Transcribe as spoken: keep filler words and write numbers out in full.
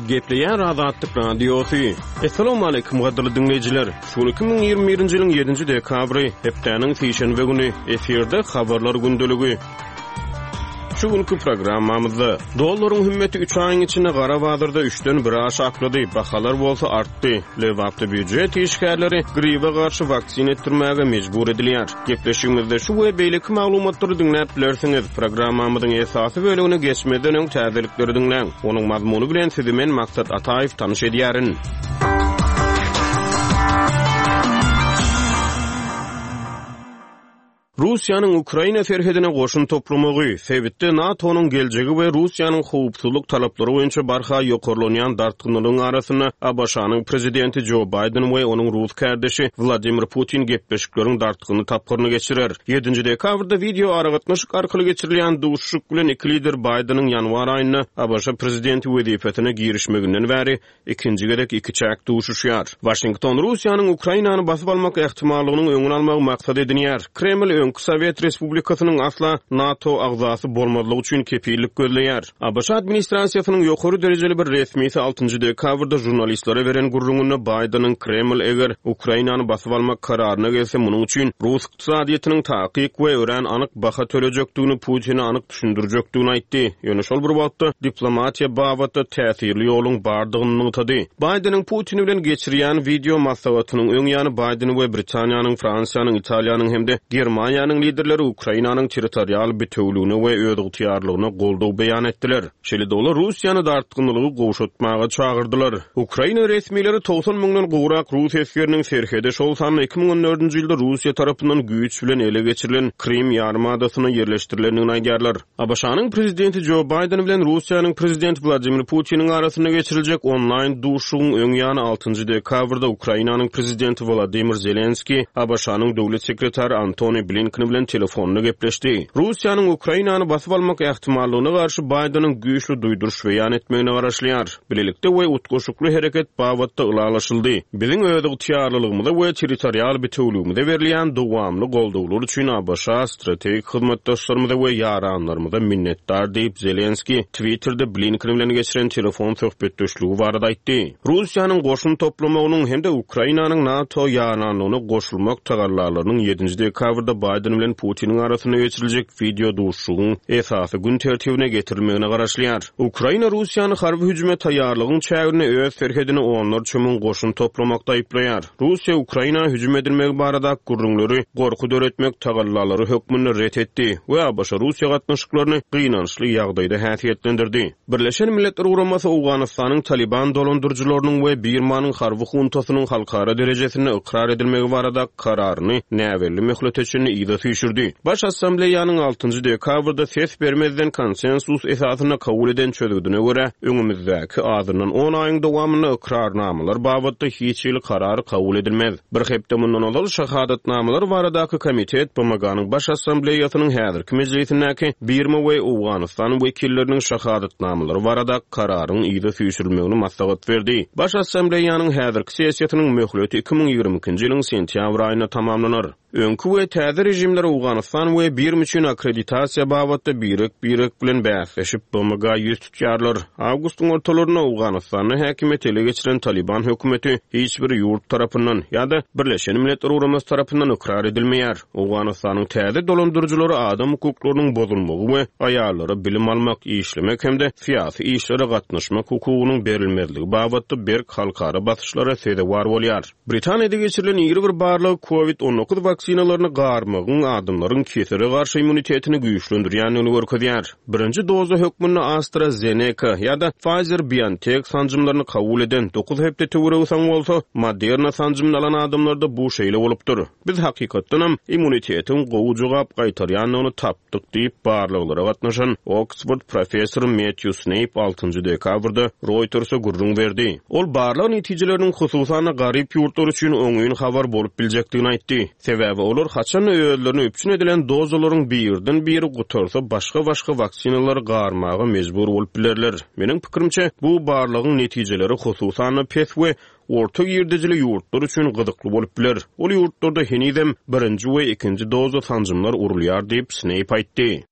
Gepleýär Azatlyk Radiosy. Assalamualaikum gadyrly diňleýjiler. Şu gün iki müň ýigrimi birinji ýylyň ýedinji dekabry, hepdäniň sişenbe güni, efirde habarlar gündeligi. Şu günkü programmamyzda dollaryň hümmeti üç aýyň içinde gara bazarda üçden bire aşaklady, bahalar bolsa artdy. Lebapda býujet işgärleri gribe garşy waksin etdirmäge mejbur edilýär. Gepleşigimizde şu we beýleki maglumatlary diňläp bilersiňiz. Programmamyzyň esasy bölümine geçmeden öň täzelikleri diňläň. Onuň mazmuny bilen sizi men Maksat Ataýew tanyş edýärin. Russiýanyň Ukraina serhedine goşun toplamagy, sebitde NATO-nyň geljegi we Russiýanyň howpsuzlyk talaplary boýunça barha ýokarlanýan dartgynlygyň arasynda A B Ş-nyň prezidenti Joe Biden we onuň rus kardeşi Wladimir Putin gepleşikleriň dartgynly tapgyryny geçirer. Ýedinji dekabrda video aragatnaşyk arkaly geçirilýän duşuşyk bilen iki lider Bideniň ýanwar aýynda A B Ş prezidenti wezipesine girişmeginden bäri ikinji gezek iki çäk duşuşýar. Washington Russiýanyň Ukrainany basyp almak ähtimallygynyň öňüni almagy maksat edinýär. Kreml öňki Sowet Respublikasynyň asla NATO agzasy bolmazlygy üçin kepillik gözleýär. A B Ş administrasiýasynyň ýokary derejeli bir resmisi altynjy dekabrda jurnalistlere beren gürrüňinde Bideniň Kreml eger Ukrainany basyp almak kararyna gelse, munuň üçin Rus ykdysadyýetiniň takyk we örän anyk baha tölejekdigini Putine anyk düşündirjekdigini aýtdy. Ýöne şol bir wagtda diplomatiýa babatda täsirli ýoluň bardygyny nygtady. Bideniň Putin bilen geçirýän video maslahatynyň öň ýany Biden we Britaniýanyň, Fransiýanyň, Italiýanyň hem-de Germaniýanyň liderleri Ukrainanyň territorial bitewligine we özygtyýarlygyna goldaw beýan etdiler. Şeýle-de olar Russiýany dartgynlygy gowşatmaga çagyrdylar. Ukraina resmileri togsan müňden gowrak rus esgeriniň serhede şol sanda iki müň on dördünji ýylda Russiýa tarapyndan güýç bilen ele geçirilen Krim ýarymadasyna ýerleşdirilendigini aýdýarlar. A B Ş-nyň prezidenti Joe Biden bilen Russiýanyň prezidenti Wladimir Putiniň arasynda geçiriljek onlaýn duşuşygyň öň ýany altynjy dekabrda Ukrainanyň prezidenti Wladimir Zelenski A B Ş-nyň döwlet sekretary Antony Blinken bilen telefonda gepleşdi. Russiýanyň Ukrainany basyp almak ähtimallygyna garşy Bideniň güýçli duýduryş beýan etmegine garaşylýar. Bilelikde we utgaşykly hereket babatda ylalaşyldy. Biziň özygtyýarlylygymyza we territorial bitewligimize berilýän dowamly goldawlar üçin A B Ş strategik hyzmatdaşlarymyza we ýaranlarymyza minnetdar diýip Zelenski Twitterde Blinken bilen geçiren telefon söhbetdeşligi barada aýtdy. Russiýanyň goşun toplamagynyň hem-de Ukrainanyň NATO ýaranlygyna goşulmak tagallalarynyň ýedinji dekabrda Biden bilen Putiniň arasynda geçiriljek video duşuşygyň esasy gün tertibine getirilmegine garaşylýar. Ukraina Russiýany harby hüjüme taýýarlygyň çäginde öz serhedini onlarça müň goşun toplamakda aýyplaýar. Russiýa Ukraina hüjüm edilmegi barada gürrüňleri gorky döretmek tagallalary hökmünde ret etdi we A B Ş Russiýa gatnaşyklaryny gynançly ýagdaýda häsiýetlendirdi. Birleşen Milletler Guramasy Owganystanyň Taliban dolandyryjylarynyň we Birmanyň harby huntasynyň halkara derejesinde ykrar edilmegi barada kararyny näbelli möhlete çenli yza süýşürdi. Baş Assambleýanyň altynjy dekabrda ses bermezden konsensus esasynda kabul eden çözgüdine görä, öňümizdäki azyndan on aýyň dowamynda ykrarnamalar babatda hiç hili karar kabul edilmez. Bir hepde mundan ozal şahadatnamalar baradaky komitet B M G-nyň Baş Assambleýasynyň häzirki mejlisindäki Birma we Owganystan wekilleriniň şahadatnamalary barada kararyň yza süýşürilmegini maslahat berdi. Baş Assambleýanyň häzirki sessiýasynyň möhleti iki müň ýigrimi ikinji ýylyň sentýabr aýynda tamamlanar. Öňki we täze rejimler Owganystan we Birma üçin akkreditasiýa babatda birek-birek bilen bäsleşip B M G ýüz tutýarlar. Awgustyň ortalarynda Owganystanda häkimiýeti ele geçiren Taliban hökümeti hiç bir ýurt tarapyndan ýa-da Birleşen Milletler Guramasy tarapyndan ykrar edilmeýär. Owganystanyň täze dolandyryjylary adam hukuklarynyň bozulmagy we aýallara bilim almak, işlemek hem-de syýasy işlere gatnaşmak hukugynyň berilmezligi babatda berk halkara basyşlara sezewar bolýar. Britaniýada geçirilen iri bir barlag COVID on dokuz waksinalaryny garmagyň adamlaryň kesele garşy immunitetini güýçlendirýändigini görkezýär. Birinji doza hökmünde AstraZeneca ýa-da Pfizer-BioNTech sanjymlaryny kabul eden dokuz hepde töweregi soň bolsa Moderna sanjymyny alan adamlarda bu şeýle bolupdyr. Biz hakykatdanam immunitetiň gowy jogap gaýtarýandygyny tapdyk diýip barlaglara gatnaşan Oxford professory Matthew Snape altynjy dekabrda Reuters'a gürrüň berdi. Ol barlag netijeleriniň hususan garyp ýurtlar üçin oňyn habar bolup biljekdigini aýtdy. Sebäbi olar haçan özlerini üpjün edilen dozalaryň birden biri gutarsa başga-başga waksinalar garmaga mejbur bolup bilerler. Meniň pikirimçe bu barlagyň netijeleri hususan pes we orta girdejili ýurtlar üçin gyzykly bolup biler. Ol ýurtlarda henizem birinji we ikinji doza sanjymlar urulýar diýip Snape aýtdy.